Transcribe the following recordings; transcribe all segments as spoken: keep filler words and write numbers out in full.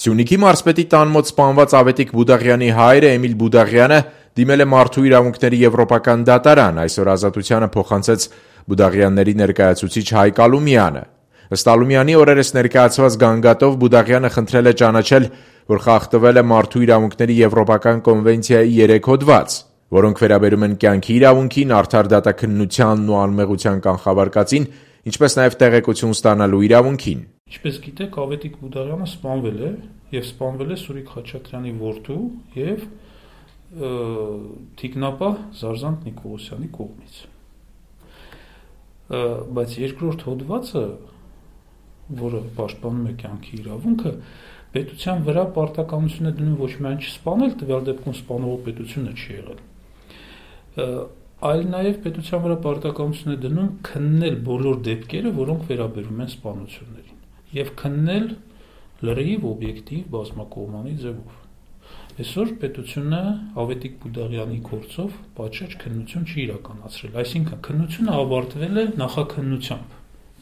Սյունիքի մարզպետի տան մոտ սպանված Ավետիք Բուդաղյանի հայրը Էմիլ Բուդաղյանը դիմել է Մարդու իրավունքների եվրոպական դատարան, այսօր ազատությանը փոխանցեց Բուդաղյանների ներկայացուցիչ Հայկ Ալումյանը։ Ըստ Ալումյանի օրերս ներկայացված գանգատով Բուդաղյանը խնդրել է ճանաչել, որ խախտվել է Մարդու իրավունքների եվրոպական կոնվենցիայի երեք հոդված, որոնք վերաբերում են կյանքի իրավունքին, արդար դատաքննությանն ու անմեղության կանխավարկածին, ինչպես նաև տեղեկություն ստանալու իրավունքին։ Ինչպես գիտեք, Ավետիք Բուդաղյանը սպանվել է եւ սպանվել է Սուրիկ Խաչատրյանի որդու եւ թիկնապահ Զարզանտ Նիկողոսյանի կողմից։ Բայց երկրորդ հոդվածը, որը պաշտպանում է կյանքի իրավունքը, պետության վրա պարտականություն է դնում ոչ միայն չսպանել, տվյալ դեպքում սպանողը պետությունը չի եղել, այլ նաև պետության վրա պարտականություն է դնում քննել բոլոր դեպքերը, որոնք վերաբերում են սպանություններին, եւ քննել լրիվ օբյեկտիվ բազմակողմանի ձևով։ Այսօր պետությունը Ավետիք Բուդաղյանի գործով պատշաճ քննություն չի իրականացրել, այսինքն քննությունը ավարտվել է նախաքննությամբ։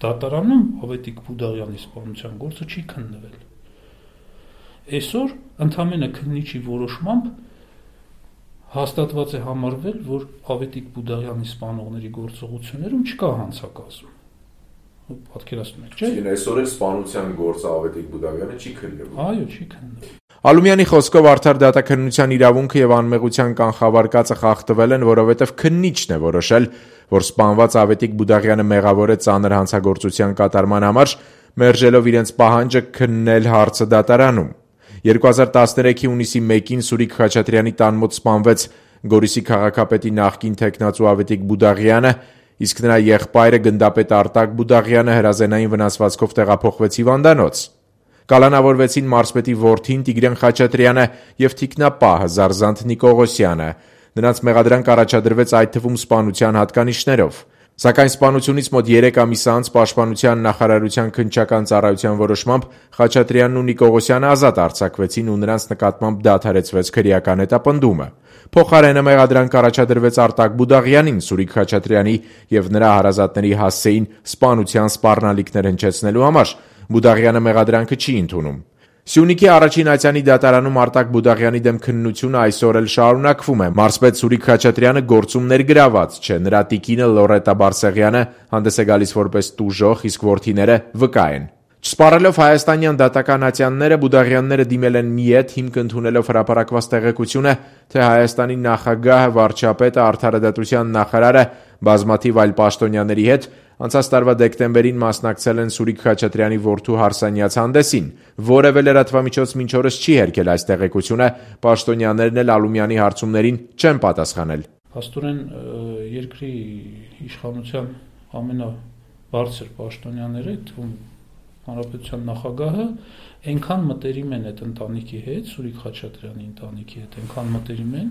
Դատարանում Ավետիք Բուդաղյանի սպանության գործը չի քննվել։ Այսօր ընդամենը քննիչի որոշմամբ հաստատված է համարվել, որ Ավետիք Բուդաղյանի սպանողների գործողություններում չկա հանցակազմ։ Պատկերացնում եք, չէ՞։ Այսօր էլ սպանության գործը Ավետիք Բուդաղյանը չի քննվում։ Այո, չի քննվում։ Ալումյանի խոսքով արդար դատաքննության իրավունքը եւ անմեղության կանխավարկածը խախտվել են, որովհետեւ քննիչն է որոշել, որ սպանված Ավետիք Բուդաղյանը մեղավոր է ծանր հանցագործության կատարման համար, մերժելով իրենց պահանջը քննել հարցը դատարանում։ երկու հազար տասներեքի հունիսի մեկին Սուրիկ Խաչատրյանի տան մոտ սպանվեց Գորիսի քաղաքապետի նախկին թեկնածու Ավետիք Բուդաղյանը, իսկ նրա եղբայրը գնդապետ Արտակ Բուդաղյանը հրազենային վնասվածքով տեղափոխվեց հիվանդանոց։ Կալանավորվեցին մարզպետի որդին Տիգրան Խաչատրյանը եւ թիկնապահը Զարզանտ Նիկողոսյանը։ Նրանց մեղադրանք առաջադրվեց այդ թվում սպանության հատկանիշներով։ Սակայն սպանությունից մոտ երեք ամիս անց Պաշտպանության նախարարության քննչական ծառայության որոշմամբ Խաչատրյանն ու Նիկողոսյանը ազատ արձակվեցին ու նրանց նկատմամբ դադարեցվեց քրեական հետապնդումը։ Փոխարենը մեղադրանք առաջադրվեց Արտակ Բուդաղյանին, Սուրիկ Խաչատրյանի եւ նրա հարազատների հասցեին սպանության սպառնալիքներ հնչեցնելու համար։ Բուդաղյանը մեղադրանքը չի ընդունում։ Սյունիքի առաջին ացյանի դատարանում Արտակ Բուդաղյանի դեմ քննությունը այսօր էլ շարունակվում է։ Մարզպետ Սուրիկ Խաչատրյանը գործում ներգրաված չէ, նրա տիկինը Լորետա Բարսեղյանը հանդես է գալիս որպես տուժող, իսկ որդիները վկա են։ Չսպառելով հայաստանյան դատական ատյանները, Բուդաղյանները դիմել են միետ, հիմք ընդունելով հրապարակված տեղեկությունը, թե Հայաստանի նախագահը, վարչապետը, արդարադատության նախարարը բազմաթիվ այլ պաշտոնյաների հետ անցած տարվա դեկտեմբերին մասնակցել են Սուրիկ Խաչատրյանի որդու հարսանյաց հանդեսին։ Որևէ լրատվամիջոց մինչ օրս չի հերքել այս տեղեկությունը, պաշտոնյաներն էլ Ալումյանի հարցումներին չեն պատասխանել։ Փաստորեն երկրի իշխանության ամենաբարձր պաշտոնյաները, թվում Հանրապետության նախագահը, այնքան մտերիմ են այդ ընտանիքի հետ, Սուրիկ Խաչատրյանի ընտանիքի հետ, այնքան մտերիմ են,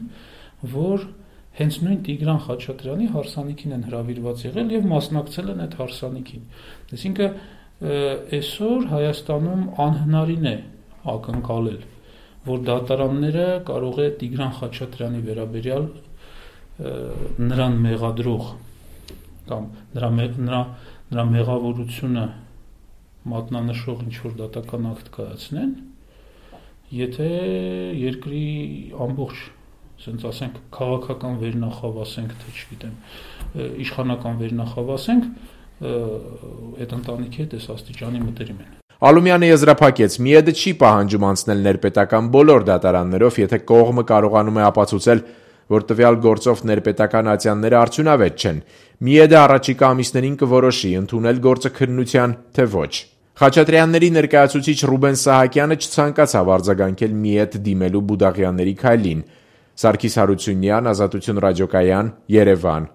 որ հենց նույն Տիգրան Խաչատրյանի հարսանիքին են հրավիրված եղել եւ մասնակցել են այդ հարսանիքին։ Այսինքն այսօր Հայաստանում անհնարին է ակնկալել, որ դատարանները կարող է Տիգրան Խաչատրյանի վերաբերյալ նրան մեղադրող կամ նրա նրա նրա մեղավորությունը մատնանշող ինչ-որ դատական ակտ կայացնեն, եթե երկրի ամբողջ, ասենք ասենք, քաղաքական վերնախավ ասենք, թե չգիտեմ, իշխանական վերնախավ ասենք, այդ ընտանիքի հետ այս աստիճանի մտերիմ են։ Ալումյանը եզրափակեց, միեդը չի պահանջում անցնել ներպետական բոլոր դատարաններով, եթե կողմը կարողանում է ապացուցել, որ տվյալ գործով ներպետական ատյանները արդյունավետ չեն։ Միեդը առաջիկա ամիսներին կորոշի ընդունել գործը քննության, թե ոչ։ Խաչատրյանների ներկայացուցիչ Ռուբեն Սահակյանը չցանկացավ արձագանքել միեդ դիմելու Բուդաղյանների քայլին։ Սարգիս Հարությունյան, Ազատություն ռադիոկայան, Երևան։